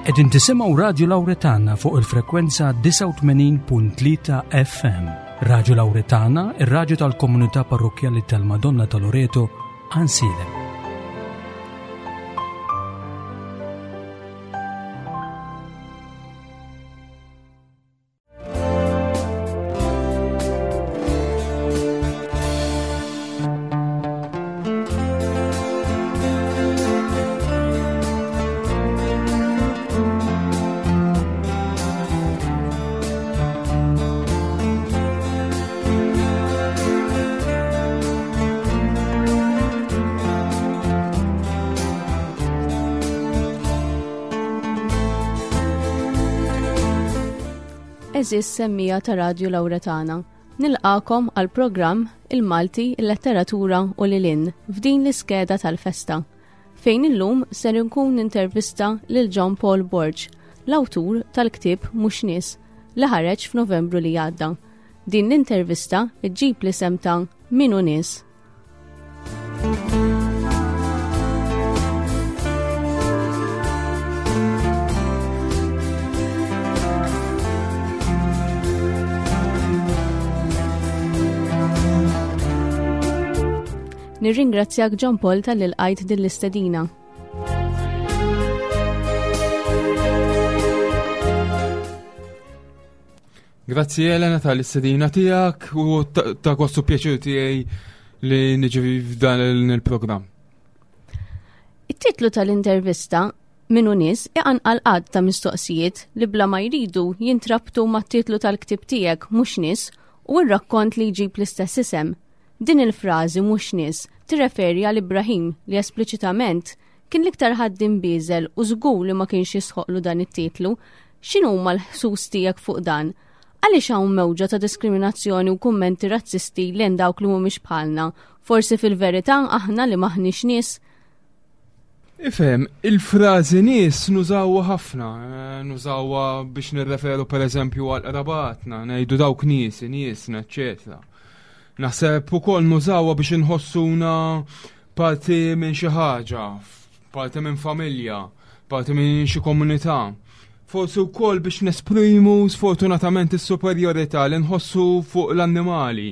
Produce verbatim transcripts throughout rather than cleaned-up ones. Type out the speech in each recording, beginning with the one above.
Qegħdin tisimgħu Radju Lawretana fuq il-frekwenza disgħa u tmenin punt tlieta F M. Radju Lawretana, ir-radju tal-Komunità Parrokkjali tal-Madonna ta' Loreto, Għajnsielem. Għeżież semmiegħa ta' Radju Lawretana, nilqagħkom għal programm Il-Malti, il-Letteratura u lil hinn f'din l-iskeda tal-festa, fejn illum ser nkun intervista lil John Paul Borg, l-awtur tal-ktieb Mhux Nies, li ħareġ f'Novembru li għadda. Din l-intervista ġġib l-isem ta' Min hu Nies. Nirringrazzjak, John Paul, talli lqajt din l-istedina. Grazzi, Elena, tal-istedina tiegħek u ta' gost u pjaċir tiegħi li niġi f'dan il-programm. It-titlu tal-intervista Min hu Nies iqanqal għadd ta' mistoqsijiet li bla ma jridu jintrabtu mat-titlu tal-ktib tiegħek, Mhux Nies, u r-rakkont li jġib l-istess isem. Din il-frażi "mhux nies" tirreferi għal Ibrahim, li espliċitament kien l-iktar ħaddiem bieżel u żgur li ma kienx jisħoqlu dan it-titlu. X'inhuma l-ħsus tiegħek fuq dan? Għaliex hawn mewġa ta' diskriminazzjoni u kummenti razzisti lejn dawk li mhumiex bħalna? Forsi fil-verità aħna li m'aħniex nies? Ifhem, il-frażi "nies" nużawha ħafna, eh, nużawha biex nirreferu per eżempju għal qrabatna, ngħidu dawk nies, niesna, eċċetera. Naħseb ukoll nużawha biex inħossuna parti minn xi ħaġa, parti minn familja, parti minn xi komunità. Forsi wkoll biex nesprimu sfortunatament is-superjorità li nħossu fuq l-annimali.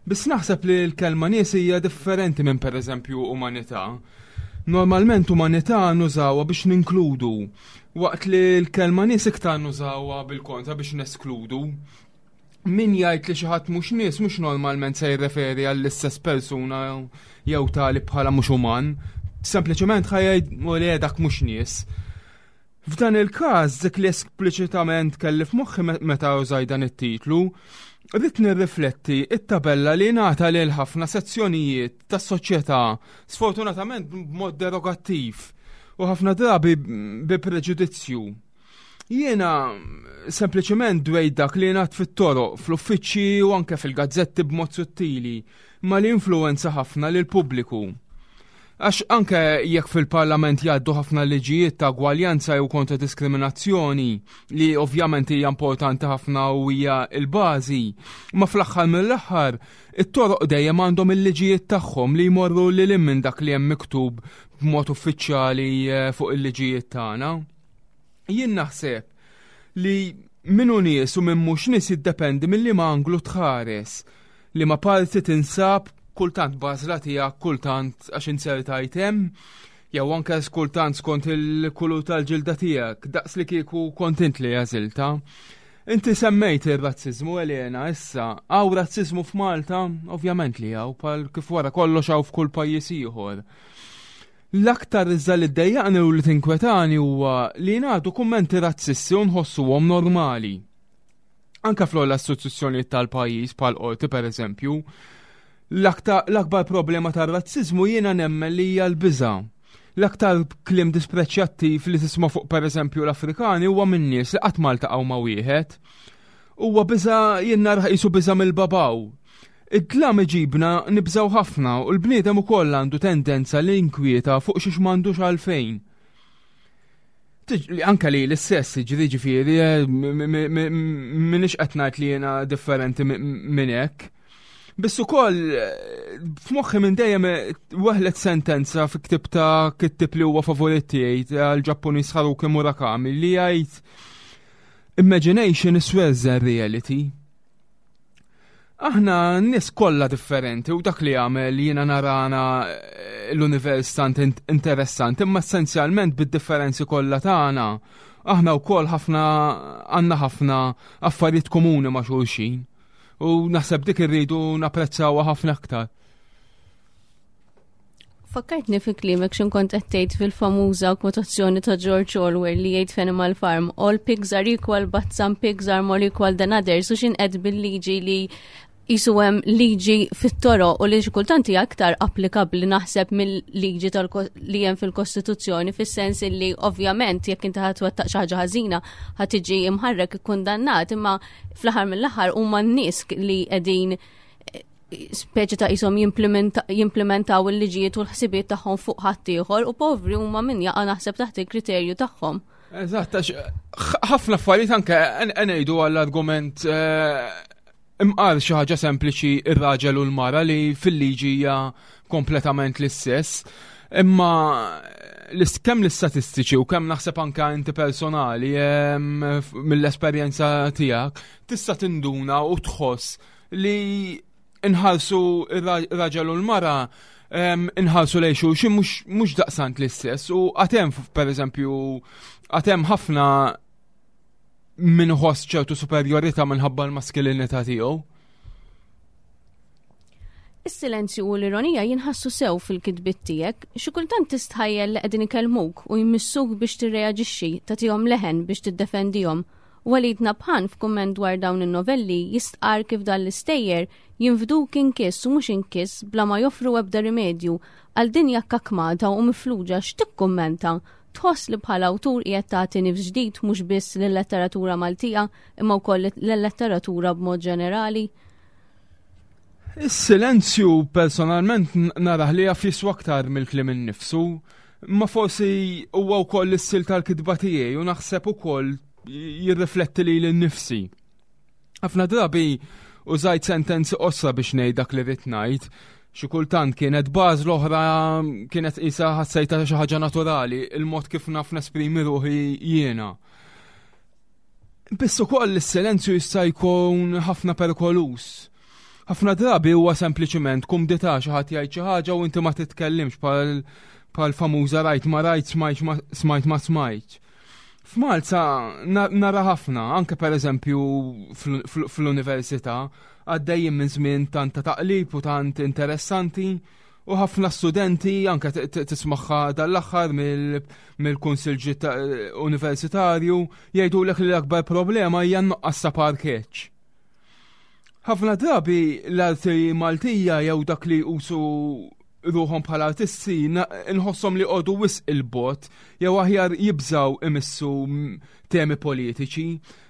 Biss naħseb li l-kelma "nies" hija differenti minn, per eżempju, umanità. Normalment umanità nużawha biex ninkludu, waqt li l-kelma "nies" iktar nużawha bil-kontra, biex neskludu. Min jgħid li xi ħadd mhux nies mhux normalment se jirreferi għall-istess persuna jew tali bħala mhux uman, sempliċement ħa jgħid u li dak mhux nies. F'dan il-każ, dik li espliċitament kelli f'moħħi meta użaj dan it-titlu, rrid nirrifletti it-tabella li ngħata lil ħafna sezzjonijiet tas-soċjetà, sfortunatament b'mod derogattiv u ħafna drabi bi preġudizzju. Jiena sempliċement dwejt dak li ngħad fit-toroq, fl-uffiċċji u anke fil-gazzetti b'mod sottili, ma li influenza ħafna lil pubbliku. Għax anke jekk fil-parlament jgħaddu ħafna liġijiet ta' ugwaljanza jew kontra diskriminazzjoni, li ovvjament hija importanti ħafna u hija l-bażi, ma fl-aħħar mill-aħħar it-toroq dejjem għandhom il-liġijiet tagħhom li jmorru lil minn dak li hemm miktub b'mod uffiċjali eh, fuq il-liġijiet tagħna. Jien naħseb li min hu nies u minn mhux nies jiddependi mill-liema anglu tħares, liema parti tinsab, kultant b'għażla tiegħek, kultant għax inzertajt hemm, jew anke kultant skont il-kulur tal-ġilda tiegħek, daqs li kieku kont int li għażiltha. Inti semmejt ir-razzizmu, Elena, issa, hawn razzizmu f'Malta? Ovvjament li hawn, bħal kif wara kollox hawn f'kull pajjiż ieħor. L-aktar iżda li ddejjaqni u li tinkwetani huwa li ngħadu kummenti razzisti u nħossuhom normali. Anka fl istituzzjonijiet tal-pajjiż, bħal qorti per eżempju, l-akbar problema tar-razzizmu jiena nemmen li hija l-biża'. L-aktar kliem dispreċjattiv li tisma' fuq, per eżempju, l-Afrikani huwa minn nies li qatt ma ltaqgħu ma' wieħed. Huwa biża', jien narah qisu biża' mill-babaw. Id-dlam iġibna nibżaw ħafna u l-bniedem ukoll għandu tendenza li jinkwieta fuq xiex m'għandux għalfejn. Anka li l-istess ġri ġifieri, eh, m'iniex qed ngħid li jiena differenti minn hekk. Biss ukoll f'moħħi minn dejjem weħlet sentenza fi ktib ta' kittib li huwa favorit tiegħi tal-Ġappuniż Haruki Murakami li jgħid "Imagination is worse than reality." Aħna nies kollha differenti u dak li jagħmel jiena narana eh, l-univers tant interessanti, imma essenzjalment bid-differenzi kollha tagħna aħna wkoll ħafna għandna ħafna affarijiet komuni ma' xulxin. U naħseb dik irridu napprezzawha ħafna aktar. Fakkartni fi kliemek x'ħin kont qed tgħid fil-famuża kwotazzjoni ta' George Orwell li jgħid f'Animal Farm, "All pigs are equal, but some pigs are more equal than others," u x'ħin qed bil-liġi li qisu hemm liġi fit-toroq u li xi kultant hija aktar applikabbli, naħseb, mill-liġi li hemm fil-Kostituzzjoni, fis-sens li ovvjament jekk inti ħa twettaq xi ħaġa ħażina ħa tiġi imħarrek, ikkundannat, imma fl-aħħar mill-aħħar huma n-nies li qegħdin speċi ta' qishom jimplementaw il-liġijiet u l-ħsibiet tagħhom fuq ħaddieħor u povri huma min jaqa', naħseb, taħt il-kriterju tagħhom. Eżatt, ħafna affarijiet, anke ngħidu għall-argument eh, imqar xi ħaġa sempliċi, ir-raġel u l-mara li fil-liġi hija kompletament l-istess. Imma kemm l-istatistiċi u kemm naħseb anke inti personali mill-esperjenza tiegħek tista' tinduna u tħoss li inħarsu ir-raġel u l-mara, inħarsu lejn xulxin mhux daqsant l-istess u għad hemm, per eżempju, għad hemm ħafna min iħoss ċertu superjorità minħabba l-maskilinità tiegħu. Is-silenzju u l-ironija jinħassu sew fil-kitbit tiegħek, xi kultant tistħajjel li qegħdin ikellmuk u jmissuk biex tirreaġixxi, tagħtihom leħen biex tiddefendihom. Walid Nabhan f'kumment dwar dawn in-novelli jistqar kif dan l-istejjer jinfduk inkiss u mhux inkiss bla ma joffru ebda rimedju għal dinja kakmata u mifluġa. X'tikkummenta? Tħoss li bħala awtur qiegħed tagħti nifs ġdid mhux biss lill-letteratura Maltija imma wkoll lill-letteratura b'mod ġenerali? Is-silenzju personalment narah li jaf jiswa aktar mill-kliem innifsu, ma forsi huwa wkoll is-stil tal-kitba tiegħi u naħseb ukoll jirrifletti lili nnifsi. Ħafna drabi użajt sentenzi qosra biex ngħid dak li rrid ngħid. Xi kultant kienet baż l-oħra kienet qisha ħassejta xi ħaġa naturali, il-mod kif naf nesprimi ruħi jiena. Biss ukoll is-silenzju jista' jkun ħafna perikoluż. Ħafna drabi huwa sempliċiment kumdità, xi ħadd jgħid xi ħaġa u inti ma titkellimx, bħal famuża "rajt ma rajt, smajt ma smajt". F'Malta nara ħafna, anke per eżempju fl-università, għaddejjin minn żmien tant ta' taqlib u tant interessanti u ħafna studenti anke tismagħha dal-aħħar mill-kunsil universitarju jgħidulek li l-akbar problema hija nuqqas ta' parkeġġ. Ħafna drabi l-arti Maltija jew dak li jqisu ruħhom bħala artisti nħossom li joqogħdu wisq 'il bogħod jew aħjar jibżaw imissu temi politiċi.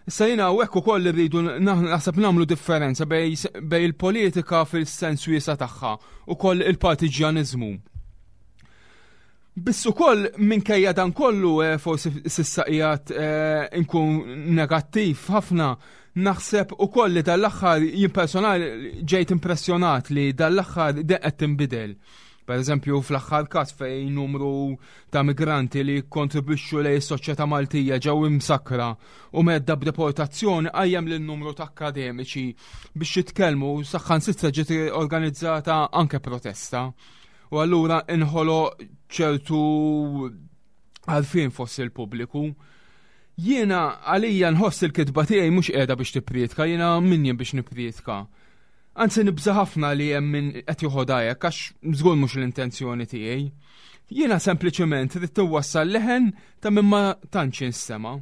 Issa jiena hawnhekk ukoll irridu naħseb nagħmlu differenza bejn il-politika fil-sens wiesa' tagħha u koll il-partiġjaniżmu. Biss ukoll minkejja dan kollu, eh, forsi s'issa qiegħed eh, inkun negattiv ħafna, naħseb ukoll li dal-aħħar jien personali ġejt impressjonat li dal-aħħar qed tinbidel. Per eżempju, fl-aħħar każ fejn numru ta' migranti li kontribwixxu lejn is-soċjetà Maltija ġew imsakra u mhedda b'deportazzjoni qajjem lil numru ta' akademiċi biex jitkellmu, saħansitra ġiet organizzata anke protesta. U allura inħoloq ċertu għarfien fost il-pubbliku. Jiena għalija nħoss il-kitba tiegħi mhux qiegħda biex tipprietka, jiena min jien biex nipprietka? Anzi, nibża ħafna li hemm min qed joħodha hekk għax żgur mhux l-intenzjoni tiegħi. Jiena sempliċement rrid inwassal leħen ta' min ma tantx jinstema'.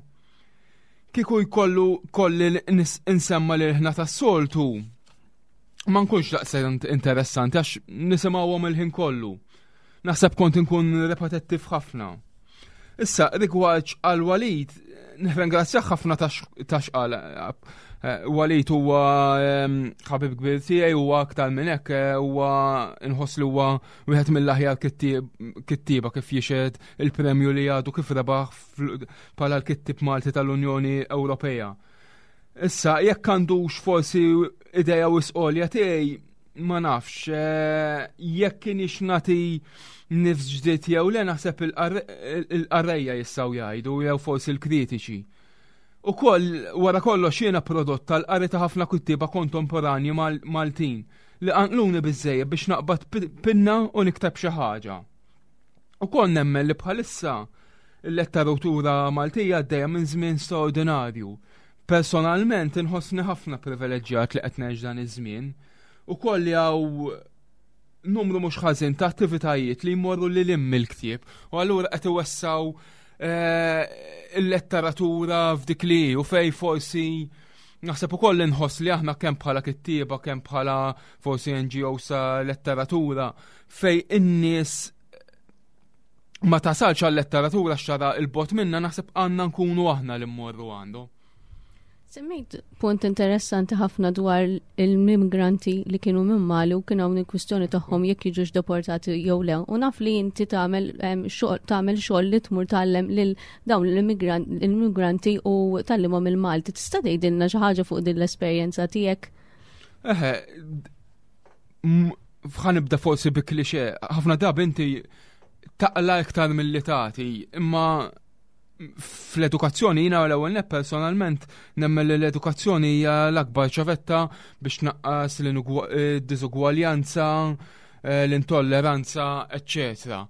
Kieku jkollu kolli insemma l-ilħna tas-soltu, ma nkunx daqshekk interessanti għax nisimgħuhom il-ħin kollu. Naħseb kont inkun repetittiv ħafna. Issa, rigward għal Walid, nirringrazzjah ħafna ta' x'qal. Eh, Walid huwa ħabib kbir tiegħi, huwa aktar minn hekk, eh, huwa nħoss li huwa wieħed mill-aħjar kittieba, kif jixhed il-premju li għadu kif rebaħ bħala l-kittib Malti tal-Unjoni Ewropea. Issa, jekk għandux forsi ideja wisq għolja tiegħi, Ma nafx, eh, jekk kienx nagħti nifs ġdid jew le, naħseb il-qarrejja jistgħu jgħidu, jew forsi l-kritiċi. Ukoll, wara kollox, jiena prodott tal-qari ta' ħafna kuttieba kontemporanji Maltin li qanqluni biżejjed biex naqbad pinna u nikteb xi ħaġa. Ukoll nemmen li bħalissa il-letteratura Maltija għaddejja minn żmien straordinarju. Personalment inħossni ħafna privileġġjat li qed ngħix dan iż-żmien. Ukoll li hawn numru mhux ħażin ta' attivitajiet li jmorru lil hemm mill-ktieb u allura qed iwessaw eh, il-letteratura f'dik li u fej forsi naħseb ukoll inħoss li aħna kemm bħala kittieba, kemm bħala forsi N G O sa letteratura, fej in-nies ma tasalx għal-letteratura xara il-bot minna, naħseb għandna nkunu aħna li mmorru għandu. Semmejt punt interessanti ħafna dwar il-immigranti li kienu minn Mali u kien hawn il-kwistjoni tagħhom jekk jiġux deportati jew le. U naf li inti tagħmel tagħmel xogħol li tmur tgħallem lil dawn l-immigranti u tgħallimhom il-Malti. Tista' tgħidilna xi ħaġa fuq din l-esperjenza tiegħek? Eħe, ħa nibda forsi bi klixe, ħafna drabi inti taqla iktar milli tagħti, imma fl-edukazzjoni jiena l-ewwel net personalment nemmen li l-edukazzjoni hija l-akbar ċavetta biex naqqas l-diżugwaljanza, eh, l-intolleranza, eċċetera.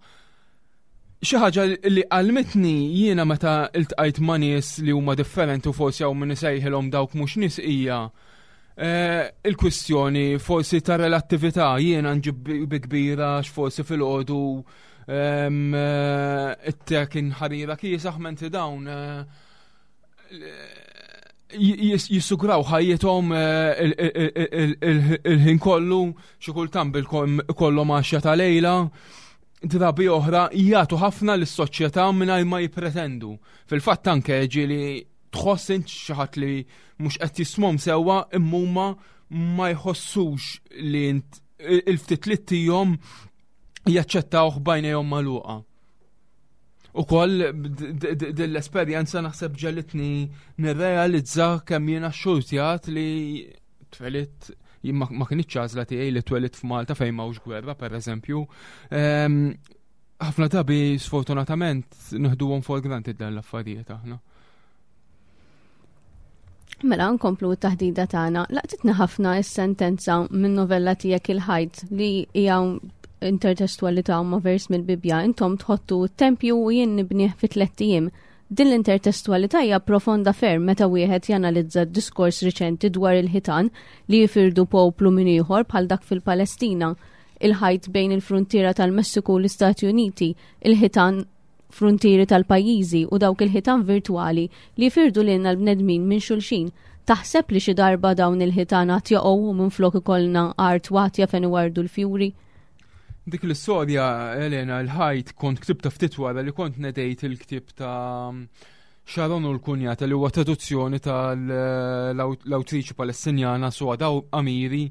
Xi ħaġa li għallmitni jiena meta iltqajt ma' nies li huma differenti u forsi hawn min isejħilhom dawk mhux nies hija eh, il-kwistjoni forsi ta' relattività. Jiena nġib bi kbira x'forsi fil-għodu eh, it-te kien ħarira kiesaħ, mentri dawn eh, jissugraw ħajjithom il-ħin kollu, xi kultant bil-kollhom għaxja ta' lejla, drabi oħra jagħtu ħafna lis-soċjetà mingħajr ma jippretendu. Fil-fatt anke ġieli tħoss int xi ħadd li mhux qed jismhom sewwa, imma huma ma jħossux li int il-ftit li ttihom jaċċettawh b'għajnejhom magħluqa. Ukoll dell-esperjenza naħseb ġegħlitni nirrealizza kemm jiena xxurtjat li twelidt, ma kinitx għażla tiegħi li twelidt f'Malta fejn m'hawnx gwerra, pereżempju. Ħafna drabi sfortunatament neħduhom for granted dan l-affarijiet aħna. Mela nkomplu t-taħdida tagħna. Laqtitna ħafna s-sentenza minn novella tiegħek Il-Ħajt li hija intertestualità ma' vers mill-Bibja: "Intom tħottu tempju u jien nibnieh fi tlett ijiem." Din l-intertestualità hija profonda ferm meta wieħed janalizza d-diskors riċenti dwar il-ħitan li jifirdu poplu minn ieħor bħal dak fil-Palestina, il-ħajt bejn il-frontiera tal-Messiku u l-Istati Uniti, il-ħitan fruntieri tal-pajjiżi u dawk il-ħitan virtuali li jifirdu lilna l-bnedmin minn xulxin. Taħseb li xi darba dawn il-ħitan għad jaqgħu u minflok ikollna art watja fejn iwardu l-fjuri? Dik l-istorja, Elena, Il-Ħajt, kont ktibta ftit wara li kont nedejt il-ktib ta' Sharon u l-Kunjata, li huwa traduzzjoni tal-awtriċi Palestinjana Suad Amiri,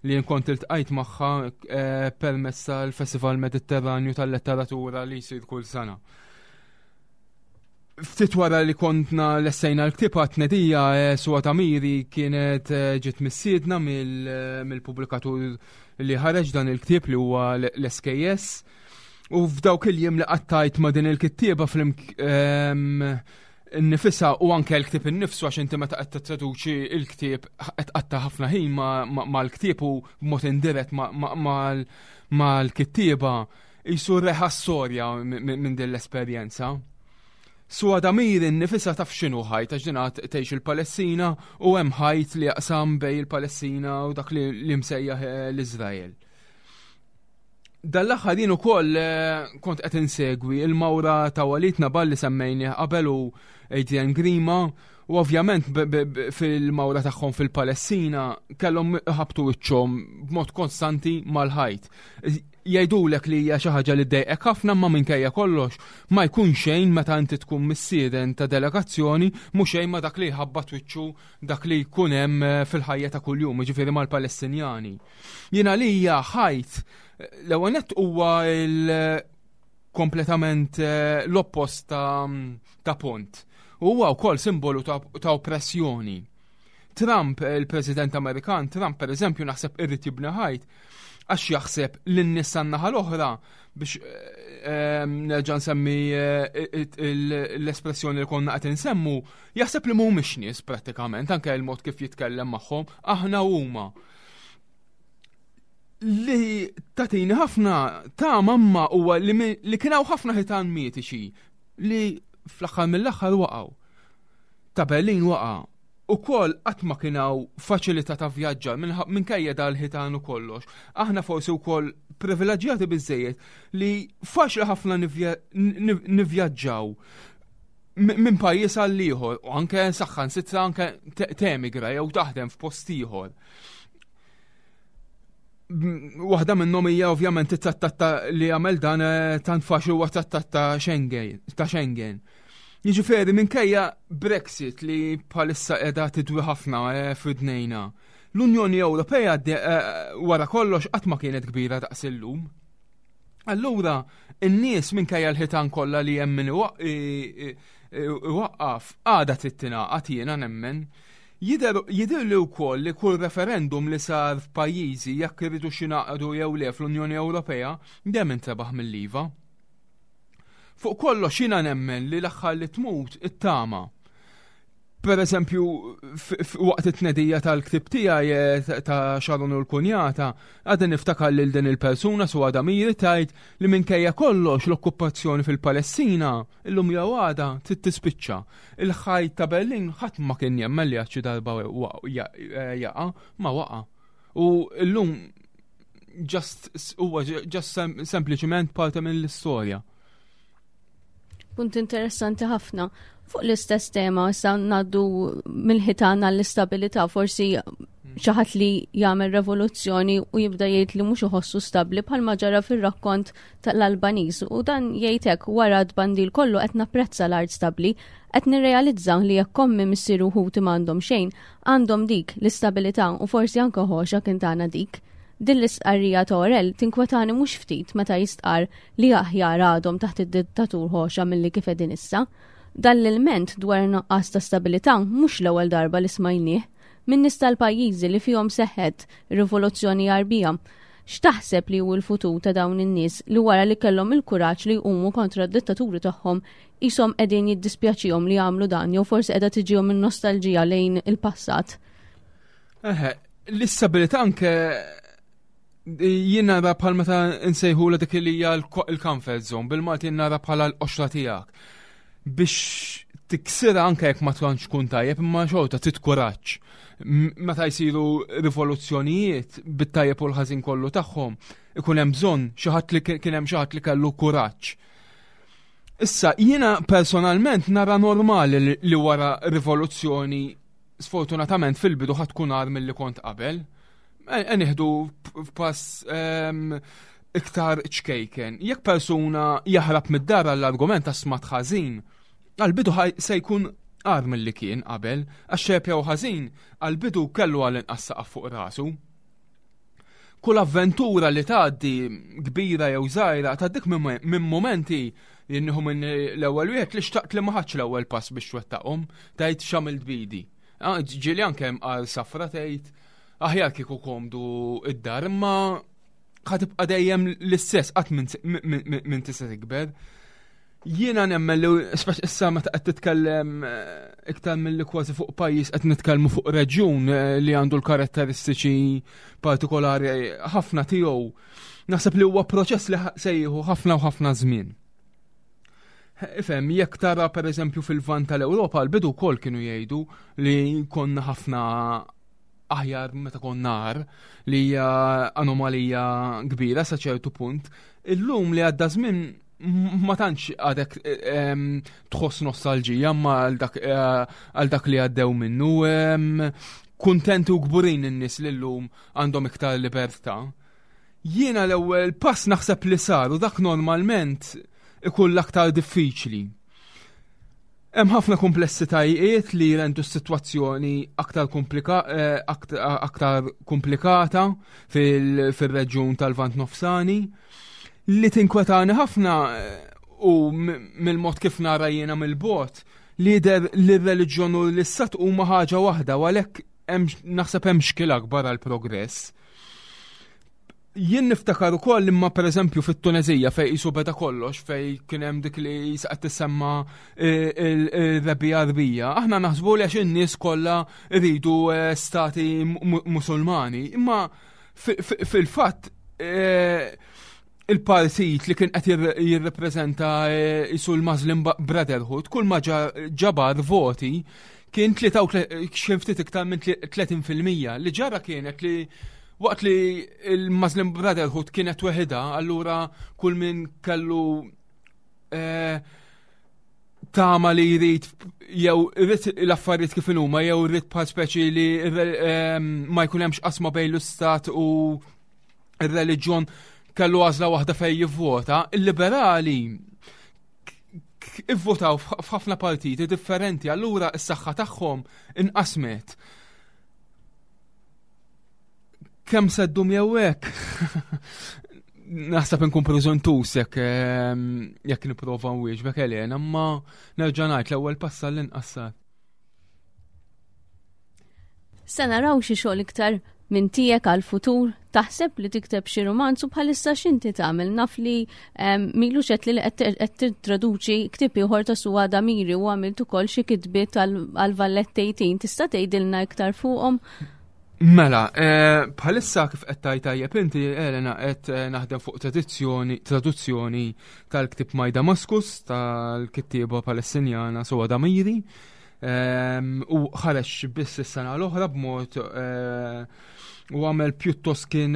li kont iltqajt magħha eh, permezz tal-Festival Mediterranju tal-Letteratura li jsir kull sena. Ftit wara li kontna lestejna l-ktieb għat-tnedija, eh, Suad Amiri kienet eh, ġiet mistiedna mill-pubblikatur li ħareġ dan il-ktieb, li huwa l-S K S. U f'dawk il-jiem li qattajt ma' din il-kittieba fl nifisa u anke l-ktieb innifsu, għax inti meta qed tittraduċi il-ktieb qed tqatta' ħafna ħin mal-ktieb u b'mod indirett mal-kittieba, jisu reħa storja minn din l-esperjenza. Suad Amiri nifisha taf x'inhu ħajt, għax din tgħix il-Palestina u hemm ħajt li jaqsam bejn il-Palestina u dak li msejjaħ eh, l-Iżrael. Dal-aħħar jien ukoll eh, kont qed insegwi il-mawra ta' Walid Nabal li semmejni qabel u Adrian Grima, u ovvjament fil-mawra tagħhom fil-Palestina kellhom ħabtu wiċċhom b'mod konstanti mal-ħajt. Jgħidulek li hija xi ħaġa li ddejqek ħafna, ma minkejja kollox ma jkun xejn meta inti tkun mistieden ta' delegazzjoni, mhux xejn ma dak li jħabbat wiċċu dak li jkun hemm eh, fil-ħajja ta' kuljum, jiġifieri mal-Palestinjani. Jiena li hija ħajt, l-ewwel nett huwa kompletament eh, l-oppost ta', ta pont. U huwa wkoll simbolu ta', ta oppressjoni. Trump, il-President Amerikan, Trump per eżempju, naħseb irrid jibni ħajt. Għax jaħseb li n-nies naħa l-oħra biex ehm, nerġa' nsemmi eh, l-espressjoni li konna qed insemmu, jaħseb li mhumiex nies prattikament, anke l-mod kif jitkellem magħhom, aħna huma. Li tatini ħafna ta' mamma huwa li kien hawn ħafna ħitan mitiċi li fl-aħħar mill-aħħar waqgħu. Ta' Berlin waqa' u kol qatt ma kien hawn faċilità ta' vjaġġar minkejja dal-ħitan u kollox. Aħna forsi wkoll privileġġjati biżejjed li faċli ħafna nivvjaġġaw minn pajjiż għal ieħor u anke saħansitra anke temigra jew taħdem f'post ieħor. Waħda minnhom hija ovvjament it-trattat li għamel dan eh, tant faċli huwa trattat ta' Schengen, ta' Schengen. Jiġifieri minkejja Brexit li bħalissa qiegħda tidwi ħafna eh, f'idnejna. L-Unjoni Ewropea eh, wara kollox qatt ma kienet kbira daqs illum. Allura, in-nies minkejja l-ħitan kollha li hemm min iwaqqaf għadha trid tingħaqad jiena nemmen. Jidher li wkoll li kull referendum li sar f'pajjiżi jekk iridu jingħaqdu jew le fl-Unjoni Ewropea dejjem intrebaħ mill-iva. Fuq kollox jiena nemmen li l-aħħar li tmut it-tama. Per eżempju, waqt it-tnedija tal-ktib tiegħi eh, ta' Sharon u l-Kunjata, għadha niftakar lil din il-persuna su għada miri tajt li minkejja kollox l-okkupazzjoni fil-Palestina illum jew għada trid tispiċċa. Il-ħajt ta' Berlin ħadd ma kien jemmen li għad xi darba eh, jaqa' ma waqa'. U illum just huwa just sempliċement parti mill-istorja. Punt interessanti ħafna. Fuq l-istess tema, issa ngħaddu mill-ħitan għall-istabilità, forsi xi ħadd li jagħmel revoluzzjoni u jibda jgħid li mhux iħossu stabbli bħalma ġara fir-rakkont tal-Albaniż u dan jgħid hekk wara d-bandil kollu qed napprezza l-art stabbli, qed nirrealizza li jekk ommi missieri u ħuti m'għandhom xejn, għandhom dik l-istabilità u forsi anke Hoxha kien tagħna dik. Din l-istqarrija ta' Orel tinkwetani mhux ftit meta jistqar li aħjar għadhom taħt id-dittatur Hoxha milli kif qegħdin issa. Dan l-ilment dwar nuqqas ta' stabilità mhux l-ewwel darba li smajnieh minn nies tal-pajjiżi li fihom seħħet rivoluzzjoni Għarbija. X'taħseb li hu l-futur ta' dawn in-nies li wara li kellhom il-kuraġġ li jqumu kontra d-dittaturi tagħhom qishom qegħdin jiddispjaċihom li jagħmlu dan jew forsi qiegħda tiġihom in-nostalġija lejn il-passat? Eħe, l-istabilità anke jien nara bħal meta nsejħu dik li hija l-comfort zone, bil-Malti nara bħala l-qoxra tiegħek. Biex tiksira anke jekk ma tantx tkun tajjeb, imma xorta trid kuraġġ. Meta jsiru rivoluzzjonijiet bit-tajjeb u l-ħażin kollu tagħhom, ikun hemm bżonn xi ħadd li kien hemm xi ħadd li kellu kuraġġ. Issa jiena personalment nara normali li wara rivoluzzjoni sfortunatament fil-bidu ħadd tkun agħar milli kont qabel. E nieħdu pass ehm, iktar ċkejken. Jekk persuna jaħrab mid-dar għall-argument ta' smat ħażin, għal-bidu se jkun agħar milli kien qabel, għax xejn jew ħażin, għal-bidu kellu għall-inqas saqaf fuq rasu. Kull avventura li tgħaddi kbira jew żgħira tgħaddik minn momenti li nieħu minn l-ewwel wieħed li xtaqt li ma ħadx l-ewwel pass biex twettaqhom, tgħid x'għamilt bidi. Ah, ġieli anke hemm qal safra tgħid aħjar kieku komdu id-dar, imma ħa tibqa' dejjem l-istess qatt minn tista' tikber. Jiena nemmen li speċ issa meta qed titkellem eh, iktar milli kważi fuq pajjiż qed nitkellmu fuq reġjun eh, li għandu l-karatteristiċi partikolari ħafna tiegħu. Naħseb li huwa proċess li se jieħu ħafna u ħafna żmien. Ifhem, jekk tara pereżempju fil-Lvant tal-Ewropa, l-bidu wkoll kienu jgħidu li konna ħafna aħjar meta konna agħar, li hija anomalija kbira sa ċertu punt. Illum li għadda żmien ma tantx għadek em, tħoss nostalġija ma għal dak, eh, għal dak li għaddew minnu. em, Kuntenti u kburin in-nies li llum għandhom iktar libertà. Jiena l-ewwel pass naħseb li sar u dak normalment ikun l-aktar diffiċli. Hemm ħafna komplessitajiet li jrendu s-sitwazzjoni aktar komplika, eh, aktar komplikata fil-reġjun tal-Lvant Nofsani. Li tinkwetani ħafna eh, u mill-mod kif nara jiena mill-bogħod li jidher li r-reliġjon u l-istat huma ħaġa waħda u għalhekk naħseb hemm xkiel akbar għall progress. Jien niftakar ukoll imma pereżempju fit-Tunezija fejn qisu beda kollox, fejn kien hemm dik li qed tissemma ir-Rebbiegħa Għarbija, aħna naħsbu li għax in-nies kollha rridu eh, stati Musulmani, imma fil-fatt eh, il-partit li kien qed jirrepreżenta qisu eh, l-Muslim Brotherhood, kull ma ġabar voti kien xi ftit iktar minn tletin fil-mija. Li ġara kienet li waqt li il-Muslim Brotherhood kienet weħida, allura kull min kellu eh, tama li jrid jew irid l-affarijiet kif huma jew irid bħal speċi li eh, ma jkun hemmx qasma bejn l-istat u ir-reliġjon, kellu għażla waħda fejn jivvota. Il-liberali ivvotaw f'ħafna partiti differenti, allura s-saħħa tagħhom inqasmet. Kemm se ddum jew hekk? Naħseb inkun preżuntus jekk ehm, jekk nipprova nwieġbek, Elena, imma nerġa' ngħid, l-ewwel pass għall-inqas sar. Se naraw xi xogħol iktar minn tiegħek għal-futur? Taħseb li tikteb xi romanzu bħalissa? X'inti tagħmel? Naf li ehm, m'ilux qed li qed tittraduċi ktieb ieħor ta' Suada Amiri u għamilt ukoll xi kitbiet għal Valletta tletin. Tista' tgħidilna iktar fuqhom? Mela, eh, bħalissa, kif qed tgħid tajjeb inti, Elena, qed eh, naħdem fuq tradizzjoni, traduzzjoni tal-ktib My Damascus tal-kittieba Palestinjana Suada Amiri. Ehm, u ħareġ biss is-sena l-oħra b'mod eh, u għamel pjuttost kien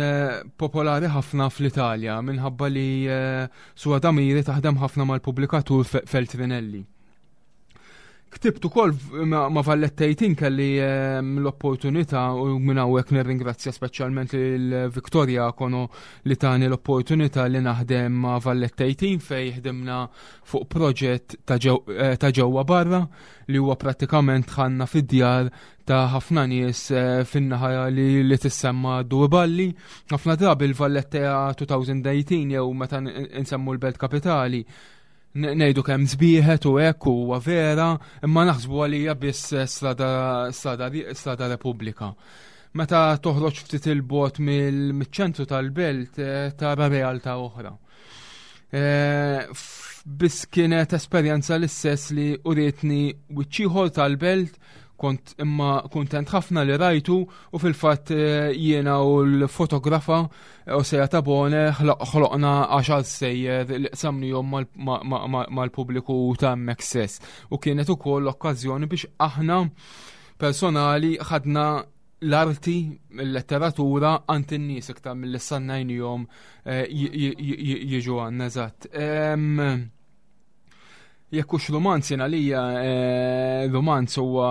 popolari ħafna fl-Italja minħabba li Suada Amiri taħdem ħafna mal-pubblikatur Feltrinelli. Ktibt ukoll ma' Valletta tletin, kelli ehm, l-opportunità, u minn hawnhekk nirringrazzja speċjalment lil Victoria Kono li tani l-opportunità li naħdem ma' Valletta tletin, fejn ħdimna fuq proġett ta' eh, ġewwa barra, li huwa prattikament ħanna fid-djar ta' ħafna nies eh, fin-naħa li, li tissemma Due Balli. Ħafna drabi il-Valletta elfejn u tmintax jew meta nsemmu l-Belt Kapitali ngħidu kemm sbieħet u hekk, huwa vera, imma naħsbu għalija biss strada strada strada Repubblika. Meta toħroġ ftit il-bogħod mill-ċentru tal-belt eh, tara realtà oħra. Eh, biss kienet esperjenza l-istess li urietni wiċċ ieħor tal-belt, kont imma kontent ħafna li rajtu, u fil-fatt eh, jiena u l-fotografa Osea Tabone ħloqna għaxar stejjer li qsamnihom mal-pubbliku ta' hemmhekk stess. U kienet ukoll okkażjoni biex aħna personali ħadna l-arti, il-letteratura għand in-nies iktar milli stennejnihom eh, jiġu għandna, eżatt. Jekk hux romanz, jien għalija eh, romanz huwa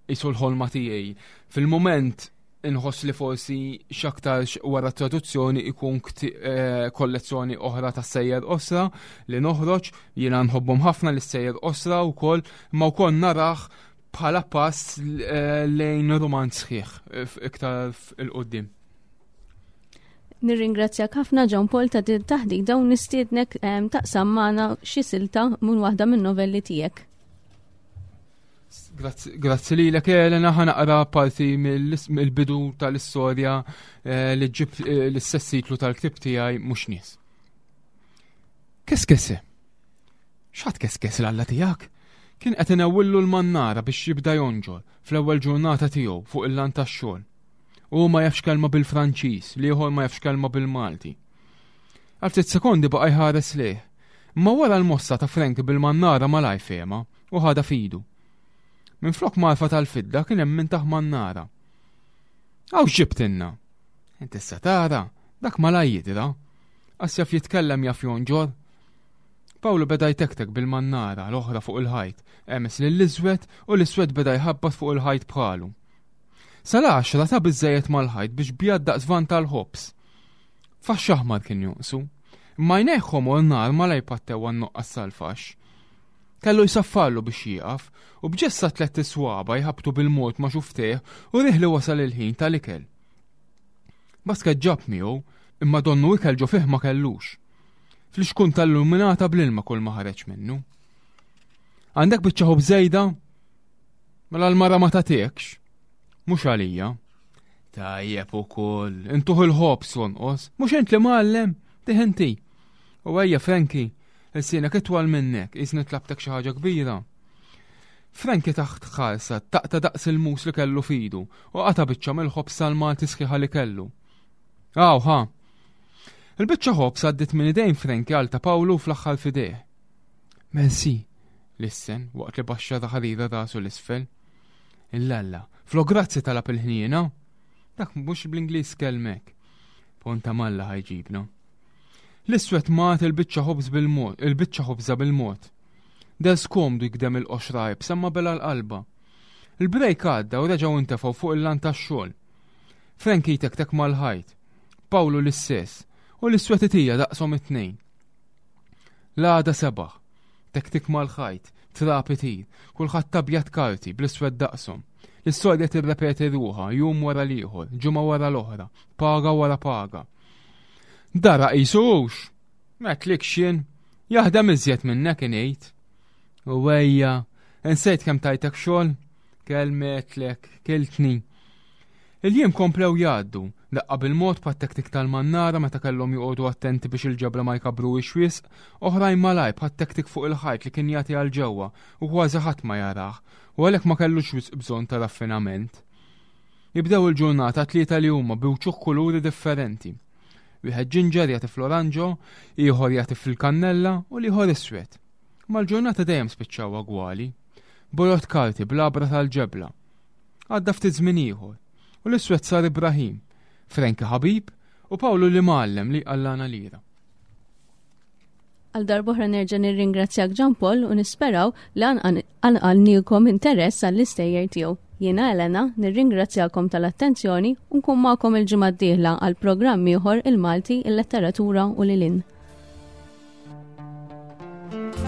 qisu l-ħolma tiegħi. Fil-moment inħoss li forsi x'aktarx wara traduzzjoni ikun eh, kollezzjoni oħra ta' stejjer qosra li noħroġ. Jiena nħobbhom ħafna l-istejjer qosra wkoll, imma wkoll narah bħala pass eh, lejn romanz sħiħ iktar 'il quddiem. Nirringrazzjak ħafna, John Paul, ta' din taħdita u nistiednek taqsam magħna xi silta minn waħda minn novelli tiegħek. Grazzi lilek, Elena. Ħa naqra parti mill-bidu tal-istorja eh, li ġib eh, l-istess titlu tal-ktib tiegħi, Mhux Nies. Keskese. X'għad keskes l-alla tiegħek? Kien qed inewwillu l-mannara biex jibda jonġor fl-ewwel ġurnata tiegħu fuq il-lant tax-xogħol. U ma jafx kelma bil-Franċiż, l-ieħor ma jafx kelma bil-Malti. Għal ftit sekondi baqa' jħares lejh. Ma wara l-mossa ta' Frank bil-mannara malajr fehma u ħadha f'idu. Minn flok mgħarfa tal-fidda kien hemm minn taħ mannara. "Hawn x'ġibtilna?" "Inti issa tara, dak malajr jidra. Qas jaf jitkellem, jaf jonġor." Pawlu beda jtektek bil-mannara l-oħra fuq il-ħajt, hemes lill-Iswed u l-Iswed beda jħabbat fuq il-ħajt bħalu. Sal-għaxra ta biżżejjed mal-ħajt biex bjad daqs van tal-ħobż. Faxx aħmar kien jonqsu. Imma għajnejh ħomor nar malajr pattew għan-nuqqas tal-faxx. Kellu jsaffarlu biex jieqaf u b'ġest ta' tlett iswaba jħabtu bil-mod ma' xufftejh urieh li wasal il-ħin tal-ikel. Basket ġab miegħu, imma donnu ikel ġo fih ma kellux. Flixkun tal-luminata bl-ilma kull ma ħareġ minnu. "Għandek biċċa ħobż żejda? Mela l-mara ma tagħtikx." "Mhux għalija." Tajjeb ukoll, intuħ il-ħobż jonqos, mhux int li mgħallem, tih inti. U ejja Frankie, ilsienek itwal minnek, qisni tlabtek xi ħaġa kbira. Frankie taħt ħarsa taqta' daqs il-mus li kellu fidu u qata' biċċa mill-ħobż tal-Malti sħiħa li kellu. Aw, ħa. Il-biċċa ħobż għaddiet minn idejn Frankie għal ta' Pawlu fl-aħħar f'idejh. Merci, lissen waqt li baxxa ħarira rasu l-isfel. Illalla, flo grazzi talab il-ħniena. Dak mhux bl-Ingliż kelmek. Ponta malla ħajġibna. L-iswed mat il-biċċa ħobż bil-mod, il-biċċa ħobża bil-mod. Del skomdu jgdem il-qoxra iebsa ma bela l-qalba. Il-brejk għadda u reġgħu intefgħu fuq il-lan tax-xogħol. Frankie tektek mal-ħajt, Pawlu l-istess, u l-iswed itija daqshom it-tnejn. L-għada sebaħ, tektik mal-ħajt, trab itir, kulħadd abjad karti bl-iswed daqshom. L-istorja tirrepeti ruħha jum wara l-ieħor, ġimgħa wara l-oħra, paga wara paga. Dara qisux, m'għedtlikx jien, jaħdem iżjed minnek ingħid. U ejja, insejt kemm tajtek xogħol, kelmetlek, kiltni. Il-jiem komplew jgħaddu, daqqa bil-mod bħat-tektik tal-mannara meta kellhom joqogħdu attenti biex il-ġebla ma jkabruhiex wisq, oħrajn malajr bħat-tektik fuq il-ħajt li kien jagħti għal ġewwa u kważi ħadd ma jarah, u għalhekk ma kellux wisq bżonn ta' raffinament. Jibdew il-ġurnata tlieta li huma bi wċuħ kuluri differenti. Wieħed ġinġer jagħti fl-oranġo, ieħor jagħti fil-kannella u l-ieħor iswed. Ma l-ġurnata dejjem spiċċaw agwali. Bojod karti bl-abra tal-ġebla. Għadda ftit żmien ieħor. U l-iswed sar Ibrahim, Frankie ħabib u Pawlu li mgħallem li qallana lira. Għal darb'oħra nerġa' nirringrazzjak Jean Paul u nisperaw li qanqalnielkom interess għall-istejjer tiegħu. Jiena Elena, nirringrazzjakom tal-attenzjoni u nkun magħkom il-ġimgħa d-dieħla għal programm ieħor il-Malti, il-Letteratura u lil hinn. Thank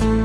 you.